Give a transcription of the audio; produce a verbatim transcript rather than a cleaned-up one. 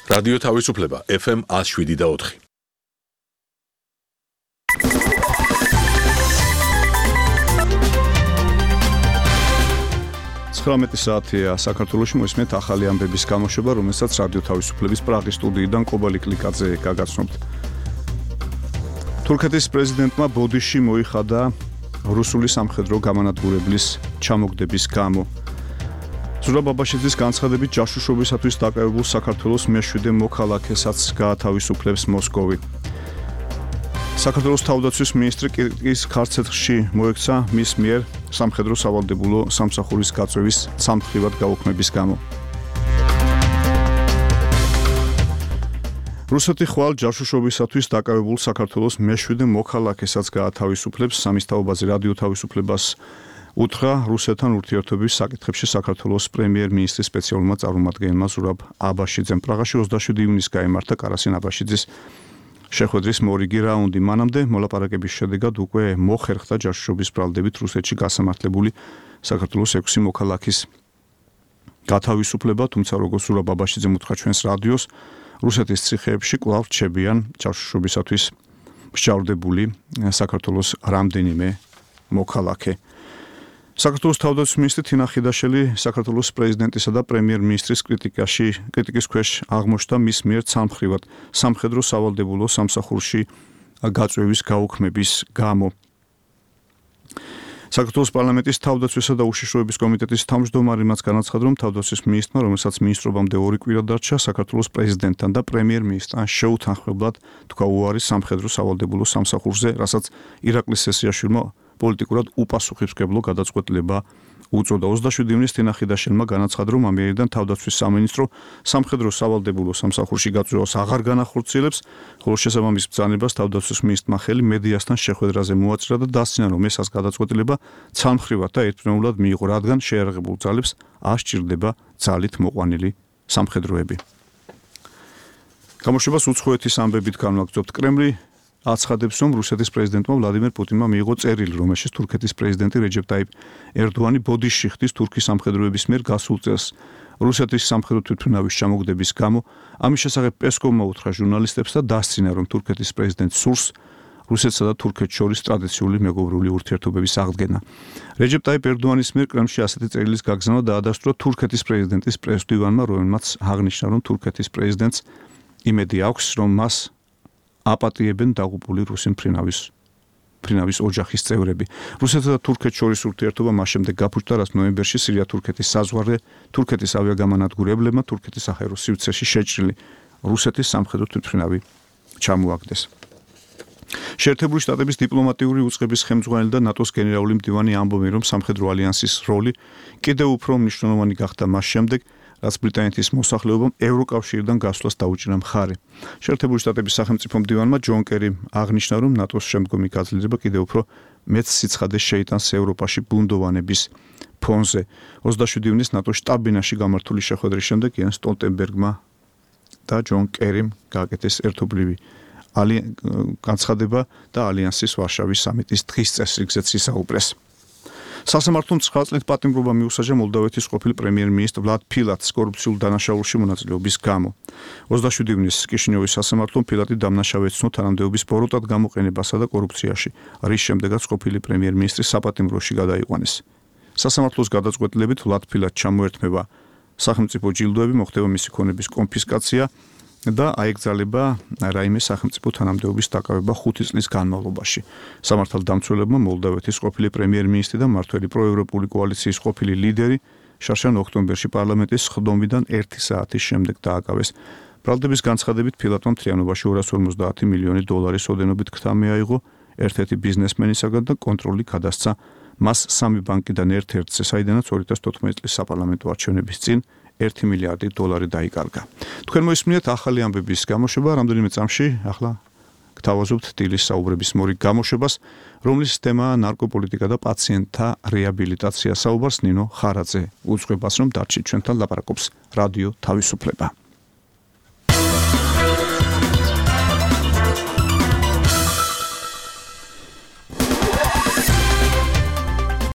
რადიო თავისუფლება ეფ ემ one oh seven და four. ცხრამეტი საათია საქართველოში მოისმენთ ახალი ამბების გამოშვება, რომელსაც რადიო თავისუფლების პრაღის სტუდიიდან კობალი კლიკაძე გაგაცნობთ. თურქეთის პრეზიდენტმა ბოდიში მოიხადა რუსული სამხედრო გამანადგურებლის ჩამოგდების გამო. ზურაბ აბაშიძის განცხადებით ჯაშუშობისათვის დაკავებულ საქართველოს მეშვიდე მოქალაქესაც გაათავისუფლებს მოსკოვი. საქართველოს თავდაცვის მინისტრი კირკის ქარცეთში მოექცა მის მიერ სამხედრო სავალდებულო სამსახურის გაწევის ცალმხრივად გაუქმების გამო. რუსეთი ხვალ ჯაშუშობისათვის დაკავებულ საქართველოს მეშვიდე მოქალაქესაც გაათავისუფლებს. სამის თაობაზე რადიო თავისუფლებას უთხრა რუსეთთან ურთიერთობის საკითხებში საქართველოს პრემიერ-მინისტრის სპეციალურმა წარმომადგენელმა ზურაბ აბაშიძემ. პრაღაში ოცდაშვიდი ივნისს გაიმართა კარასინ აბაშიძის შეხვედრის მორიგი რაუნდი. მანამდე მოლაპარაკების შედეგად უკვე მოხერხდა ჯაშუშობის ბრალდებით რუსეთში გასამართლებული საქართველოს ექვსი მოქალაქის გათავისუფლება, თუმცა როგორც ზურაბ აბაშიძემ უთხრა ჩვენს რადიოს, რუსეთის ციხეებში კვლავ რჩებიან ჯაშუშობისათვის მსჯავრდებული საქართველოს რამდენიმე მოქალაქე. საქართველოს თავდაცვის მინისტრი თინა ხიდაშელი საქართველოს პრეზიდენტისა და პრემიერ-მინისტრის კრიტიკაში კრიტიკის ქვეშ აღმოჩნდა მის მიერ ცალმხრივად სამხედრო სავალდებულო სამსახურში გაწევის გაუქმების გამო. საქართველოს პარლამენტის თავდაცვისა და უშიშროების კომიტეტის თავმჯდომარე მას განაცხადა, რომ თავდაცვის მინისტრმა, რომელსაც მინისტრობამდე ორი კვირა დარჩა, საქართველოს პრეზიდენტთან და პრემიერ-მინისტრთან შეუთანხმებლად თქვა უარი სამხედრო სავალდებულო სამსახურზე, რასაც ირაკლის სესიაშვილმა პოლიტიკურად უპასუხისმგებლო გადაწყვეტილება უწოდა. ოცდაშვიდი ივნისს თინა ხიდაშელმა განაცხადა, რომ ამიერიდან თავდაცვის სამინისტრო სამხედრო სავალდებულო სამსახურში გაწევას აღარ განახორციელებს, ხოლო შესაბამის ბრძანებას თავდაცვის მინისტრმა ხელი მედიასთან შეხვედრაზე მოაწირა და დასცინა, რომ ეს გადაწყვეტილება ცალმხრივად და ერთპიროვნულად მიიღო, რადგან შეიარაღებულ ძალებს არ სჭირდება ძალით მოყვანილი სამხედროები. გამოშვებას უცხოეთის ამბებით განვაგრძობთ. კრემლი აცხადებს, რომ რუსეთის პრეზიდენტმა ვლადიმერ პუტინმა მიიღო წერილი, რომელშიც თურქეთის პრეზიდენტი რეჯეპ ტაიპ ერდოანი ბოდიში ხდის თურქის სამხედროების მიერ გასულ წელს რუსეთის სამხედრო თვითმფრინავის ჩამოგდების გამო. ამის შესახებ პესკოვმა უთხრა ჟურნალისტებს და დასცინა, რომ თურქეთის პრეზიდენტს სურს რუსეთსა და თურქეთს შორის ტრადიციული მეგობრული ურთიერთობების აღდგენა. რეჯეპ ტაიპ ერდოანის მიერ კრემლში ასეთი წერილის გაგზავნა დაადასტურა თურქეთის პრეზიდენტის პრესმდივანმა, რომელმაც აღნიშნა, რომ თურქეთის პრეზიდენტს იმედი აქვს, რომ მას აპატიებენ დაღუპული რუსი მფრინავის მფრინავის ოჯახის წევრები. რუსეთსა და თურქეთს შორის ურთიერთობა მას შემდეგ გაფუჭდა, რაც ნოემბერში სირია-თურქეთის საზღვარზე თურქეთის ავიაგამანადგურებლებმა თურქეთის საჰაერო სივრცეში შეჭრილი რუსეთის სამხედრო თვითმფრინავი ჩამოაგდეს. შეერთებული შტატების დიპლომატიური უწყების ხელმძღვანელი და ნატოს გენერალური მდივანი ამბობენ, რომ სამხედრო ალიანსის როლი კიდევ უფრო მნიშვნელოვანი გახდა მას შემდეგ, რაც ბრიტანეთის მოსახლეობამ ევროკავშირიდან გასვლას დაუჭირა მხარი. შეერთებული შტატების სახელმწიფო მდივანმა ჯონ კერიმ აღნიშნა, რომ ნატოს შემდგომი გაძლიერება კიდევ უფრო მეც სიცხადეს შეიტანს ევროპაში ბუნდოვანების ფონზე. ოცდაშვიდი ივნისს ნატოს შტაბ-ბინაში გამართული შეხვედრის შემდეგ იენს სტოლტენბერგმა და ჯონ კერიმ გააკეთეს ერთობლივი განცხადება და ალიანსის ვარშავის სამიტის დღის წესრიგზეც ისაუბრეს. სასამართლომ ცხრა წლით პატიმრობა მიუსაჯა მოლდავეთის ყოფილ პრემიერ-მინისტრ ვლად ფილატს კორუფციულ დანაშაულში მონაწილეობის გამო. ოცდაშვიდი ივნისს კიშინიოვის სასამართლომ ფილატი დამნაშავე ეცნო თანამდებობის ბოროტად გამოყენებასა და კორუფციაში, რის შემდეგაც ყოფილი პრემიერ-მინისტრი საპატიმროში გადაიყვანეს. სასამართლოს გადაწყვეტილებით ვლად ფილატს ჩამოერთმება სახელმწიფო ჯილდოები, მოხდება მისი ქონების კონფისკაცია და აეკრძალება რაიმე სახელმწიფო თანამდებობის დაკავება ხუთი წლის განმავლობაში. სამართალდამცველებმა მოლდავეთის ყოფილი პრემიერ-მინისტრი და მმართველი პროევროპული კოალიციის ყოფილი ლიდერი შარშან ოქტომბერში პარლამენტის ხდომიდან ერთი საათის შემდეგ დააკავეს. ბრალდების განცხადებით ფილატმა მთლიანობაში ორას ორმოცდაათი მილიონი დოლარის ოდენობით ქთა მიაიღო ერთ-ერთი ბიზნესმენისაგან და კონტროლი გადასცა მას სამი ბანკიდან ერთ-ერთზე, საიდანაც ორი ათას თოთხმეტი წლის საპარლამენტო არჩევნების წინ ერთი მილიარდი დოლარი დაიკარგა. თქვენ მოისმინეთ ახალი ამბების გამოშვება, რამდენიმე წამში ახლა გთავაზობთ დილის საუბრების მორიგ გამოშვებას, რომლის თემაა ნარკოპოლიტიკა და პაციენტთა რეაბილიტაცია. საუბარს ნინო ხარაძე უძღვებას, რომ დარჩით ჩვენთან, ლაპარაკობს რადიო თავისუფლება.